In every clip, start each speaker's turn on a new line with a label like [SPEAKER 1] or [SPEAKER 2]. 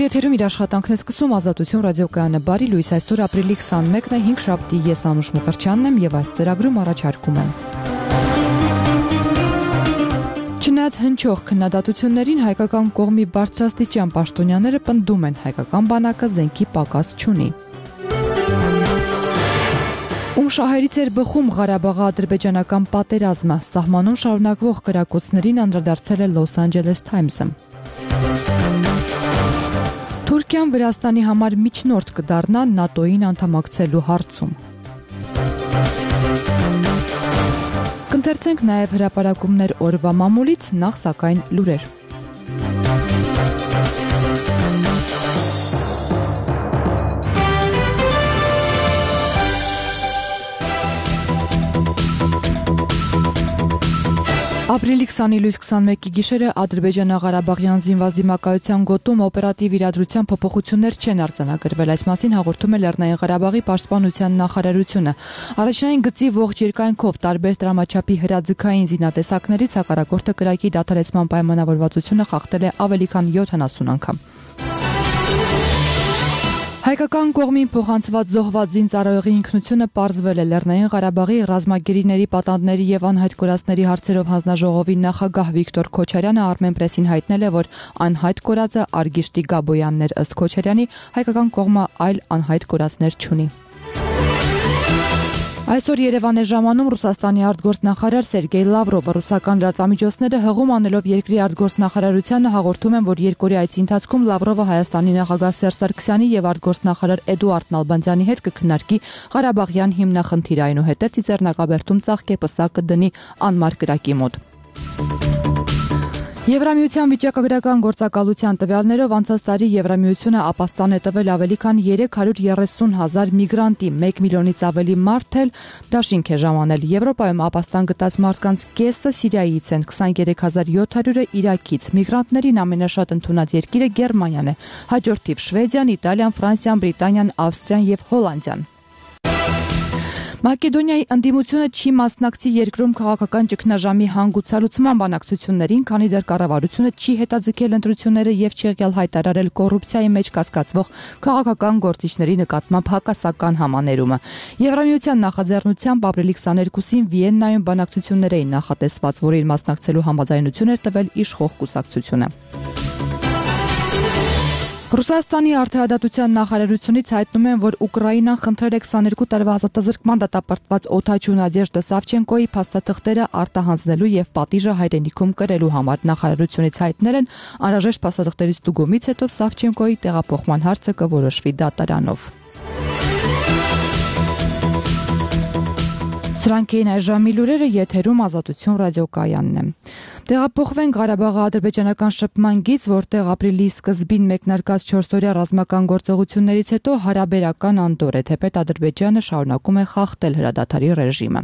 [SPEAKER 1] Եթերում իր աշխատանքն է սկսում Ազատություն ռադիոկայանը բարի լույս այսօր ապրիլի 21-ն է 5 շաբթի ես Անուշ Մկրտչյանն եմ եւ այս ծրագրում առաջարկում եմ Չնայած հնչող քննադատություններին հայկական կողմի բարձրաստիճան պաշտոնյաները պնդում են հայկական բանակը զենքի պակաս չունի Ում շահերից էր բխում Ղարաբաղի ադրբեջանական պատերազմը սահմանում շարունակվող կրակոցներին անդրադարձել է Los Angeles Times-ը Թուրքիան Վրաստանի համար միջնորդ կդառնա ՆԱՏՕ-ին անդամակցելու հարցում։ Կընթերցենք նաև հրապարակումներ օրվա մամուլից, նախ սակայն լուրեր։ Ապրիլի 20-ի լույս 21-ի գիշերը Ադրբեջանա-Ղարաբաղյան զինված դիմակայության գոտում օպերատիվ իրադրության փոփոխություններ չեն արձանագրվել, այս մասին հաղորդում է Լեռնային Ղարաբաղի պաշտպանության նախարարությունը։ Առաջնային գծի ողջ երկայնքով տարբեր տրամաչափի հրաձգային զինատեսակներից հակառակորդը կրակի դադարեցման պայմանավորվածությունը խախտել է ավելի քան 70 անգամ։ Հայկական կողմին փոխանցված զոհված զինծառայողի ինքնությունը պարզվել է Լեռնային Ղարաբաղի ռազմագերիների, պատանդների եւ անհայտ կորածների հարցերով հանձնաժողովի նախագահ Վիկտոր Քոչարյանը Armenpress-ին հայտնել է, որ անհայտ կորածը Արգիշտի Գաբոյանն էր ըստ Քոչարյանի, հայկական կողմը այլ անհայտ կորածներ չունի։ Այսօր Երևան է ժամանում Ռուսաստանի արտգործնախարար Սերգեյ Լավրովը ռուսական լրատվամիջոցները հղում անելով երկրի արտգործնախարարությանը հաղորդում են, որ երկօրյա այցի ընթացքում Լավրովը Հայաստանի նախագահ Սերժ Սարգսյանի եւ արտգործնախարար Էդուարդ Նալբանդյանի հետ կքննարկի Ղարաբաղյան հիմնախնդիրը, այնուհետև Ծիծեռնակաբերդում ծաղկեպսա կդնի անմար կրակի մոտ։ Եվրամիության վիճակագրական գործակալության տվյալներով անցած տարի Եվրամիությունը ապաստան է տվել ավելի քան 330,000 միգրանտի, 1 միլիոնից ավելի մարդ էլ դաշինք է ժամանել։ Եվրոպայում ապաստան գտած մարդկանց կեսը Սիրիայից են, 23,700-ը Իրաքից։ Միգրանտներին ամենաշատ ընդունած երկիրը Գերմանիան է, հաջորդ թիվ Շվեդիան, Իտալիան, Ֆրանսիան, Բրիտանիան, Ավստրիան եւ Հոլանդիան։ Մակեդոնիայի ընդդիմությունը չի մասնակցի երկրում քաղաքական ճգնաժամի հանգուցալուծման բանակցություններին, քանի դեռ կառավարությունը չի հետաձգել ընտրությունները եւ չի եղել հայտարարել կոռուպցիայի մեջ կասկածվող քաղաքական գործիչների նկատմամբ հակասական համաներումը։ Եվրամիության նախաձեռնությամբ ապրիլի 22-ին Վիեննայում բանակցություններ էին նախատեսված, որին մասնակցելու համաձայնություն էր տվել իշխող կուսակցությունը։ Ռուսաստանի արդարադատության նախարարությունից հայտնում են, որ Ուկրաինան խնդրել է 22 տարվա ազատազրկման դատապարտված Օթաչու Նադեժդա Սավչենկոյի փաստաթղթերը արտահանձնելու եւ պատիժը հայրենիքում կրելու համար։ Նախարարությունից հայտնել են, անհրաժեշտ փաստաթղթերի ստուգումից հետո Սավչենկոյի տեղափոխման հարցը կորոշվի դատարանով։ Սրանք էին այժմի լուրերը, եթերում Ազատություն ռադիոկայանն է։ Տեղափոխվենք Ղարաբաղի ադրբեջանական շփման գիծ, որտեղ ապրիլի սկզբին մեկնարկած 4-օրյա ռազմական գործողություններից հետո հարաբերական անդոր է, թեպետ Ադրբեջանը շարունակում է խախտել հրադադարի ռեժիմը։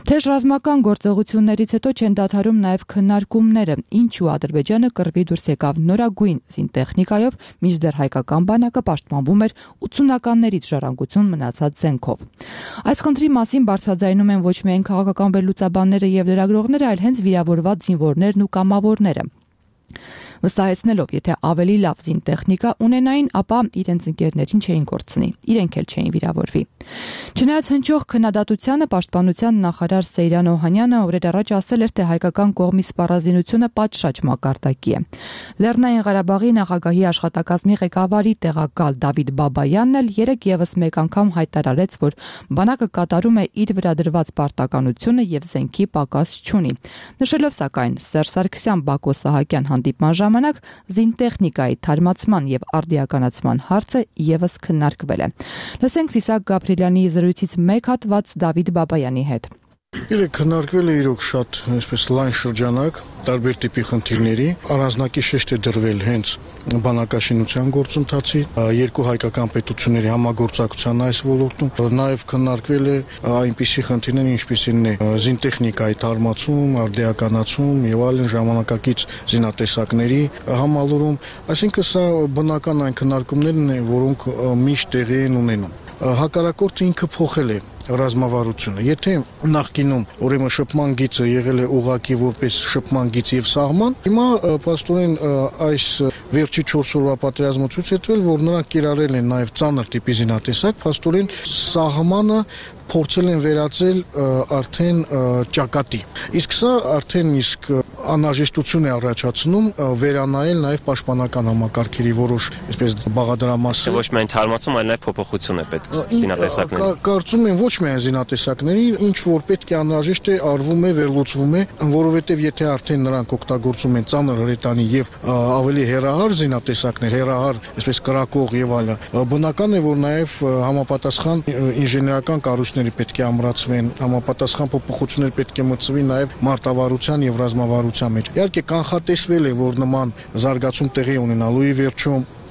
[SPEAKER 1] Թեժ ռազմական գործողություններից հետո չեն դադարում նաև քննարկումները, ինչու Ադրբեջանը կռվի դուրս եկավ նորագույն զինտեխնիկայով, մինչդեռ հայկական բանակը պաշտպանվում էր 80-ականներից ժառանգություն մնացած զենքով։ Այս խնդրի մասին բարձրաձայնում են ոչ միայն քաղաքական վերլուծաբանները եւ լրագրողները, այլ հենց վիրավորված զինվորներն ու կամավորները։ Վստահեցնելով, եթե ավելի լավ զինտեխնիկա ունենային, ապա իրենց ընկերներին չէին կորցնի, իրենք էլ չէին վիրավորվի։ Չնայած հնչող քննադատությանը պաշտպանության նախարար Սեյրան Օհանյանը օրեր առաջ ասել էր, թե հայկական կողմի սպառազինությունը պատշաճ մակարդակի է։ Լեռնային Ղարաբաղի նախագահի աշխատակազմի ղեկավարի տեղակալ Դավիթ Բաբայանն էլ երեք եւս մեկ անգամ հայտարարեց, որ բանակը կատարում է իր վրա դրված պարտականությունը եւ զենքի պակաս չունի։ Նշելով սակայն Սերժ Սարգսյան Բակո Սահակյան հանդիպման ժամանակ զինտեխնիկայի թարմացման եւ արդիականացման հարցը եւս քննարկվել է։ Լսենք Սիսակ Գաբրիելյանի զրույցից մեկ հատված Դավիթ Բաբայանի հետ։
[SPEAKER 2] Իրեք քննարկվել է իրոք շատ այսպես լայն շրջանակ տարբեր տիպի խնդիրների, առանձնակի շեշտ է դրվել հենց բանակաշինության գործընթացի, երկու հայկական պետությունների համագործակցության այս ոլորտում, նաև քննարկվել է այնպիսի խնդիրներ, ինչպիսին է զինտեխնիկայի թարմացում, արդիականացում եւ այլն ժամանակակից զինատեսակների համալուրում, այսինքն սա բնական այն քննարկումներն են, որոնք միշտ տեղի են ունենում։ Հակառակորդը ինքը փոխել է ռազմավարությունը։ Եթե նախկինում ուրեմն շփման գիծը եղել է ուղղակի որպես շփման գիծ եւ սահման, հիմա փաստորեն այս վերջի 4 օրվա պատերազմը ցույց է տվել, որ նրանք կիրառել են նաեւ ծանր տիպի զինատեսակ, փաստորեն սահմանը փորձել են վերածել արդեն ճակատի։ Իսկ սա արդեն իսկ անհրաժեշտություն է առաջացնում վերանայել նաև պաշտպանական համակարգերի որոշ, այսպես բաղադրամասեր։
[SPEAKER 3] Ոչ միայն թարմացում, այլ նաև փոփոխություն է պետք զինատեսակների։
[SPEAKER 2] Կարծում եմ ոչ միայն զինատեսակների, ինչ որ պետք է անհրաժեշտ է արվում է, վերլուծվում է, որովհետև եթե արդեն նրանք օգտագործում են ծանր հրետանի եւ ավելի հեռահար զինատեսակներ, հեռահար, այսպես կրակող եւ այլն, բնական է, որ նաև համապատասխան ինժեներական կառույցների պետք է ամրացվեն, համապատասխան փոփոխություններ պետք է մտցվի նաև մարտավարության եւ ռազմավարության մեջ։ Իհարկե կանխատեսվել է, որ նման զարգացում տեղի ունենալու է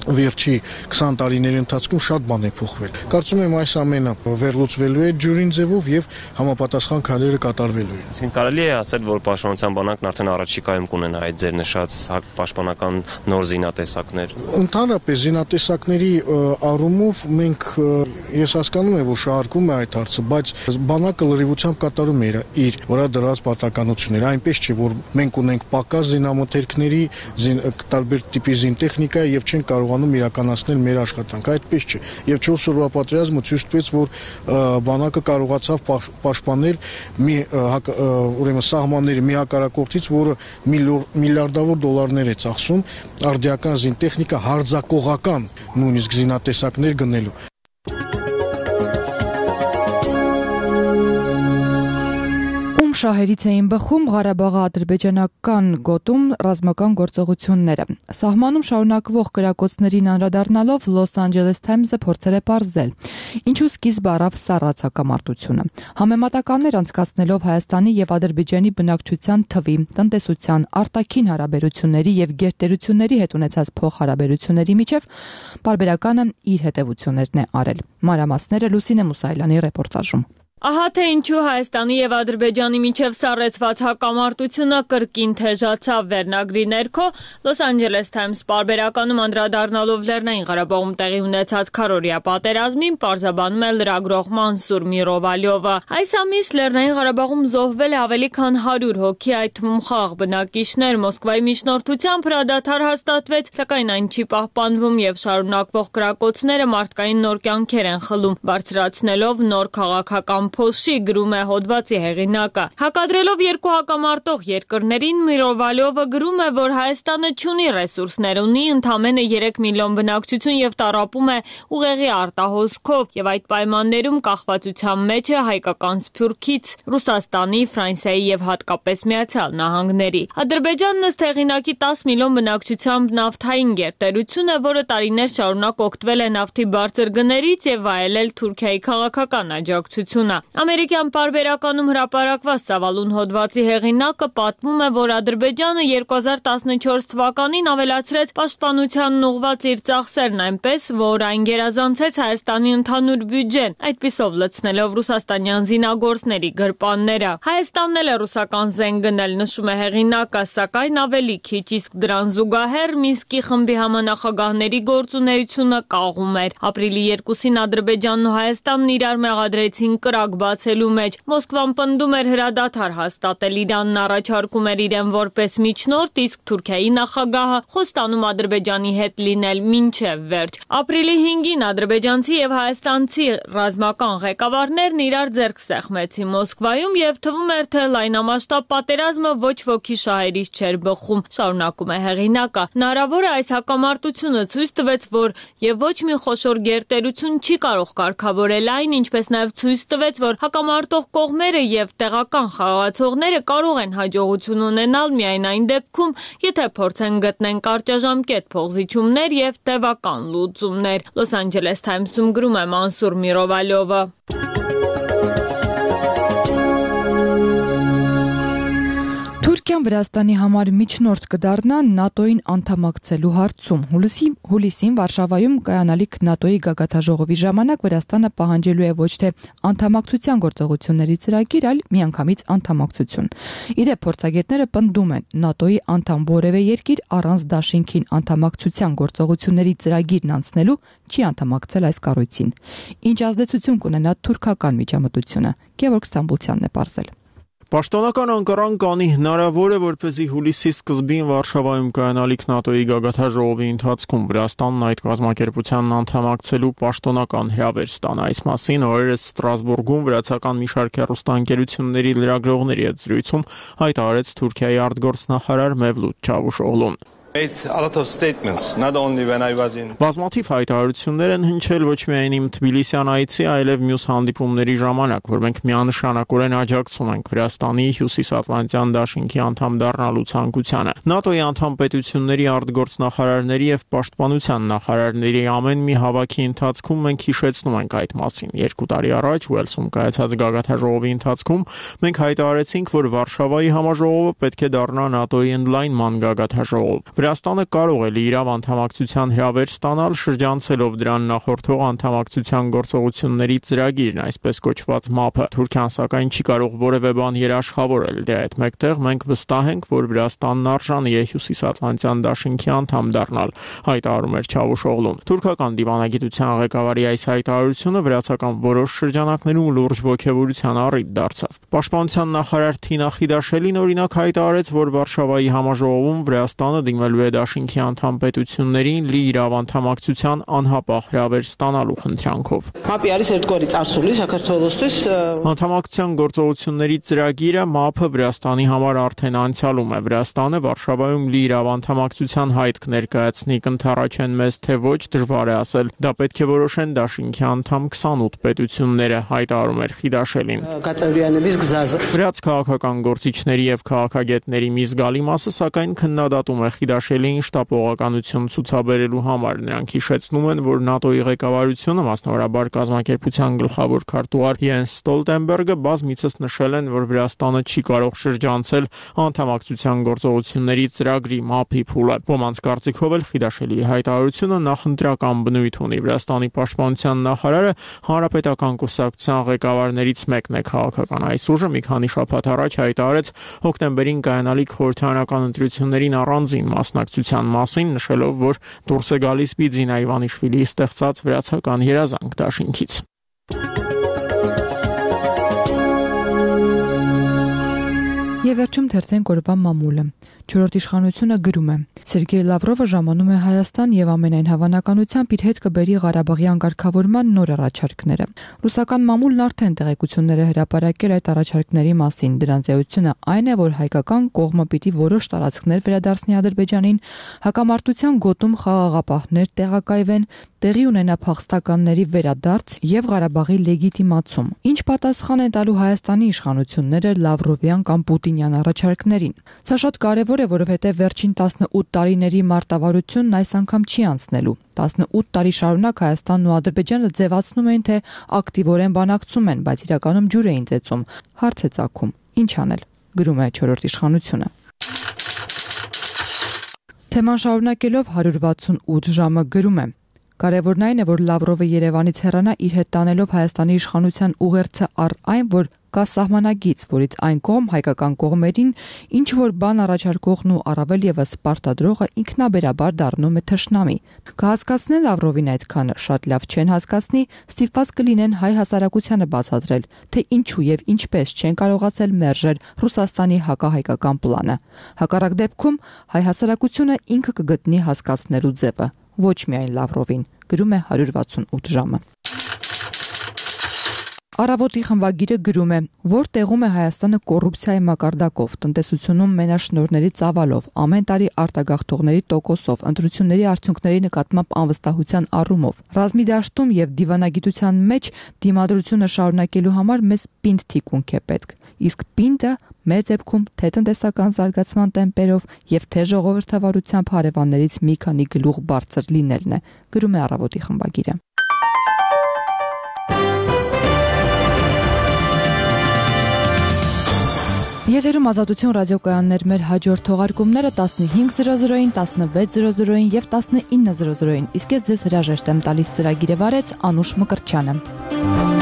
[SPEAKER 2] վերջի 20 տարիների ընթացքում շատ բան է փոխվել։ Կարծում եմ այս ամենը վերլուծվելու է ջուրին ձևով եւ համապատասխան քայլերը կատարվելու են։
[SPEAKER 3] Այսինքն կարելի է ասել, որ պաշտպանության բանակն արդեն առաջիկայում կունենա այդ ձեր նշած պաշտպանական նոր զինատեսակներ։
[SPEAKER 2] Ընդհանրապես զինատեսակների առումով մենք ես հասկանում եմ, որ շահարկում է այդ հարցը, բայց բանակը լրիվությամբ կատարում է իր վրա դրած պարտականությունները, այնպես չէ, որ մենք ունենք պակաս զինամթերքների, տարբեր տիպի զինտեխնիկա եւ չենք կարողանում իրականացնել մեր աշխատանքը, այդպես չէ։ Եվ 4 օրվա պատերազմը ցույց տվեց, որ բանակը կարողացավ պաշտպանել ուրեմն սահմանների մի հակառակորդից, որը միլիարդավոր դոլարներ է ծախսում արդիական զինտեխնիկա հարձակողական նույնիսկ զինատեսակներ գնելու։
[SPEAKER 1] Շահերից էին բխում Ղարաբաղի ադրբեջանական գոտում ռազմական գործողությունները։ Սահմանում շարունակվող կրակոցներին անդրադառնալով Los Angeles Times-ը փորձել է պարզել, ինչու սկիզբ առավ սառած հակամարտությունը։ Համեմատականներ անցկացնելով Հայաստանի եւ Ադրբեջանի բնակչության թվի, տնտեսության, արտաքին հարաբերությունների եւ գերտերությունների հետ ունեցած փոխհարաբերությունների միջև պարբերականը իր հետևություններն է արել։ Մանրամասները Լուսինե Մուսայելյանի ռեպորտաժում։
[SPEAKER 4] Ահա թե ինչու Հայաստանի եւ Ադրբեջանի միջև սառեցված հակամարտությունը կրկին թեժացավ վերնագրի ներքո Los Angeles Times պարբերականում անդրադառնալով Լեռնային Ղարաբաղում տեղի ունեցած քառօրյա պատերազմին պարզաբանում է լրագրող Մանսուր Միրովալյովը։ Այս ամիս Լեռնային Ղարաբաղում զոհվել է ավելի քան 100 հոգի, այդ թվում խաղաղ բնակիչներ։ Մոսկվայի միջնորդությամբ հրադադար հաստատվեց, սակայն այն չի պահպանվում եւ շարունակվող կրակոցները մարդկային նոր կյանքեր են խլում, բարձրացնելով նոր քաղաքական փոշի, գրում է հոդվածի հեղինակը։ Հակադրելով երկու հակամարտող երկրներին, Միրովալյովը գրում է, որ Հայաստանը չունի ռեսուրսներ, ունի ընդամենը 3 միլիոն բնակչություն եւ տառապում է ուղեղի արտահոսքով եւ այդ պայմաններում կախվածության մեջ է հայկական Սփյուռքից, Ռուսաստանի, Ֆրանսիայի եւ հատկապես Միացյալ Նահանգների։ Ադրբեջանն ըստ հեղինակի 10 միլիոն բնակչությամբ նավթային գերտերություն է, որը տարիներ շարունակ օգտվել է նավթի բարձր գներից եւ վայելել Թուրքիայի քաղաքական աջակցությունը։ Ամերիկյան պարբերականում հրապարակված ծավալուն հոդվածի հեղինակը պատմում է, որ Ադրբեջանը 2014 թվականին ավելացրեց պաշտպանությանն ուղղված իր ծախսերն այնպես, որ այն գերազանցեց Հայաստանի ընդհանուր բյուջեն, այդպիսով լցնելով ռուսաստանյան զինագործների գրպանները։ Հայաստանն էլ է ռուսական զենք գնել, նշում է հեղինակը, սակայն ավելի քիչ, իսկ դրան զուգահեռ Մինսկի խմբի համանախագահների գործունեությունը կաղում էր։ Ապրիլի 2-ին Ադրբեջանն ու Հայաստանն իրար մեղադրեցին կրակ բացելու մեջ։ Մոսկվան պնդում էր հրադադար հաստատել, Իրանն առաջարկում էր իրեն որպես միջնորդ, իսկ Թուրքիայի նախագահը խոստանում Ադրբեջանի հետ լինել մինչև վերջ։ Ապրիլի 5-ին ադրբեջանցի եւ հայաստանցի ռազմական ղեկավարներն իրար ձեռք սեղմեցին Մոսկվայում եւ թվում էր, թե լայնամասշտաբ պատերազմը ոչ ոքի շահերից չէր բխում, շարունակում է հեղինակը։ Հնարավոր է այս հակամարտությունը ցույց տվեց, որ եւ ոչ մի խոշոր գերտերություն չի կարող կարգավորել այն, ինչպես նաեւ ցույց տվեց, որ հակամարտող կողմերը եւ տեղական խաղացողները կարող են հաջողություն ունենալ միայն այն դեպքում, եթե փորձեն գտնեն կարճաժամկետ փոխզիջումներ եւ տևական լուծումներ։ Los Angeles Times-ում գրում է Մանսուր Միրովալյովը։
[SPEAKER 1] Թուրքիան Վրաստանի համար միջնորդ կդառնա ՆԱՏՕ-ին անդամակցելու հարցում։ Հուլիսին Վարշավայում կայանալիք ՆԱՏՕ-ի գագաթնաժողովի ժամանակ Վրաստանը պահանջելու է ոչ թե անդամակցության գործողությունների ծրագիր, այլ միանգամից անդամակցություն։ Իդեպ փորձագետները պնդում են, ՆԱՏՕ-ի անդամ որևէ երկիր առանց դաշինքին անդամակցության գործողությունների ծրագիրն անցնելու չի անդամակցել այս կառույցին։ Ինչ ազդեցություն կունենա թուրքական միջամտությունը։ Գևորգ Ստամբուլցյանն է պարզել։
[SPEAKER 5] Պաշտոնական Անկարան կանի հնարավոր է, որպեսզի հուլիսի սկզբին Վարշավայում կայանալիք ՆԱՏՕ-ի գագաթնաժողովի ընթացքում Վրաստանն այդ կազմակերպությանն անդամակցելու պաշտոնական հրավեր ստանա։ Այս մասին օրերս Ստրասբուրգում վրացական մի շարք հեռուստաընկերությունների լրագրողների հետ զրույցում հայտարարեց Թուրքիայի արտգործնախարար Մևլութ Չավուշօղլուն։ Բազմաթիվ հայտարարություններ են հնչել ոչ միայն իմ Թբիլիսյան այցի, այլև մյուս հանդիպումների ժամանակ, որ մենք միանշանակորեն աջակցում ենք Վրաստանի Հյուսիսատլանտյան դաշինքի անդամ դառնալու ցանկությանը։ ՆԱՏՕ-ի անդամ պետությունների արտգործնախարարների եւ պաշտպանության նախարարների ամեն մի հավաքի ընթացքում մենք հիշեցնում ենք այդ մասին։ 2 տարի առաջ Ուելսում կայացած գագաթնաժողովի ընթացքում մենք հայտարարեցինք, որ Վարշավայի համաժողովը պետք է դառնա ՆԱՏՕ-ի ընդլայնման գագաթնաժողով։ Վրաստանը կարող է լիիրավ անդամակցության հրավեր ստանալ շրջանցելով դրան նախորդող անդամակցության գործողությունների ծրագիրն, այսպես կոչված ՄԱՊ-ը։ Թուրքիան սակայն չի կարող որևէ բան երաշխավորել։ Դրա հետ մեկտեղ մենք վստահ ենք, որ Վրաստանն արժանի է Հյուսիսատլանտյան դաշինքի անդամ դառնալ, հայտարարում էր Չավուշօղլուն։ Թուրքական դիվանագիտության ղեկավարի այս հայտարարությունը վրացական որոշ շրջանակներում լուրջ ոգևորության առիթ դարձավ։ Պաշտպանության նախարար Թինա Խիդաշելին օրինակ հայտարարեց, որ Վարշավայի համաժողովում Վրաստանը դիմել է դաշինքի անդամ պետություններին լիիրավ անդամակցության անհապաղ հրավեր ստանալու խնդրանքով։ Անդամակցության գործողությունների ծրագիրը ՄԱՊ-ը Վրաստանի համար արդեն անցյալում է։ Վրաստանը Վարշավայում լիիրավ անդամակցության հայտ կներկայացնի, կընդառաջեն մեզ թե ոչ, դժվար է ասել։ Դա պետք է որոշեն դաշինքի անդամ 28 պետությունները, հայտարարում էր Խիդաշելին։ Վրաց քաղաքական գործիչների եւ քաղաքագետների մի զգալի մասը սակայն քննադատում է Խիդաշելին շտապողականություն ցուցաբերելու համար։ Նրանք հիշեցնում են, որ ՆԱՏՕ-ի ղեկավարությունը, մասնավորաբար կազմակերպության գլխավոր քարտուղար Յենս Ստոլտենբերգը բազմիցս նշել են, որ Վրաստանը չի կարող շրջանցել անդամակցության գործողությունների ծրագրի ՄԱՊ-ի փուլը։ Ոմանց կարծիքով էլ Խիդաշելիի հայտարարությունը նախընտրական բնույթ ունի։ Վրաստանի պաշտպանության նախարարը հանրապետական կուսակցության ղեկավարներից մեկն է։ Քաղաքական այս ուժը մի քանի շաբաթ առաջ հայտարարեց հոկտեմբերին կայանալիք խորհրդարանական ընտրություններին առանձին մասնակցության մասին, նշելով, որ դուրս է գալիս Բիձինա Իվանիշվիլիի ստեղծած վրացական երազանք դաշինքից։
[SPEAKER 1] Եվ վերջում թերթենք օրվա մամուլը։ Չորրորդ իշխանությունը գրում է. Սերգեյ Լավրովը ժամանում է Հայաստան եւ ամենայն հավանականությամբ իր հետ կբերի Ղարաբաղյան կարգավորման նոր առաջարկները։ Ռուսական մամուլն արդեն տեղեկություններ է հրապարակել այդ առաջարկների մասին։ Դրանց էությունը այն է, որ հայկական կողմը պիտի որոշ տարածքներ վերադարձնի Ադրբեջանին, հակամարտության գոտում խաղաղապահներ տեղակայվեն, տեղի ունենա փախստականների վերադարձ եւ Ղարաբաղի լեգիտիմացում։ Ինչ պատասխան են տալու Հայաստանի իշխանությունները Լավրովյան կամ Պուտինյան առաջարկներին։ Սա շատ կարևոր է, որովհետեւ վերջին 18 տարիների մարտավարությունն այս անգամ չի անցնելու։ 18 տարի շարունակ Հայաստանն ու Ադրբեջանը ձևացնում էին, թե ակտիվորեն բանակցում են, բայց իրականում ջուր էին ծեծում։ Հարց է ծագում. ինչ անել, գրում է չորրորդ իշխանությունը։ Թեման շարունակելով 168 ժամը գրում է. Կարևորն այն է, որ Լավրովը Երևանից հեռանա իր հետ տանելով Հայաստանի իշխանության ուղերձը առ այն, որ կա սահմանագիծ, որից այն կողմ հայկական կողմերին ինչ որ բան առաջարկողն ու առավել եւս պարտադրողը ինքնաբերաբար դառնում է թշնամի։ Կհասկացնեն Լավրովին այդքանը, շատ լավ չեն հասկացնի, ստիպված կլինեն հայ հասարակությանը բացատրել, թե ինչու եւ ինչպես չեն կարողացել մերժել Ռուսաստանի հակահայկական պլանը։ Հակառակ դեպքում հայ հասարակությունը ինքը կգտնի հասկացնելու ձևը, ոչ միայն Լավրովին, գրում է 168 ժամը։ Առավոտի խմբագիրը գրում է, որ տեղում է Հայաստանը կոռուպցիայի մակարդակով, տնտեսությունում մենաշնորհների ծավալով, ամեն տարի արտագաղթողների տոկոսով, ընտրությունների արդյունքների նկատմամբ անվստահության առումով։ Ռազմի դաշտում եւ դիվանագիտության մեջ դիմադրությունը շարունակելու համար մեզ պինդ թիկունք է պետք։ Իսկ պինդը մեր դեպքում թե տնտեսական զարգացման տեմպերով եւ թե ժողովրդավարությամբ հարևաններից մի քանի գլուխ բարձր լինելն է, գրում է Առավոտի խմբագիրը։ Եթերում Ազատություն ռադիոկայաններ, մեր հաջորդ թողարկումները 15:00-ին, 16:00-ին եւ 19:00-ին։ Իսկ ես ձեզ հրաժեշտ եմ տալիս, ծրագիրը վարեց Անուշ Մկրտչյանը։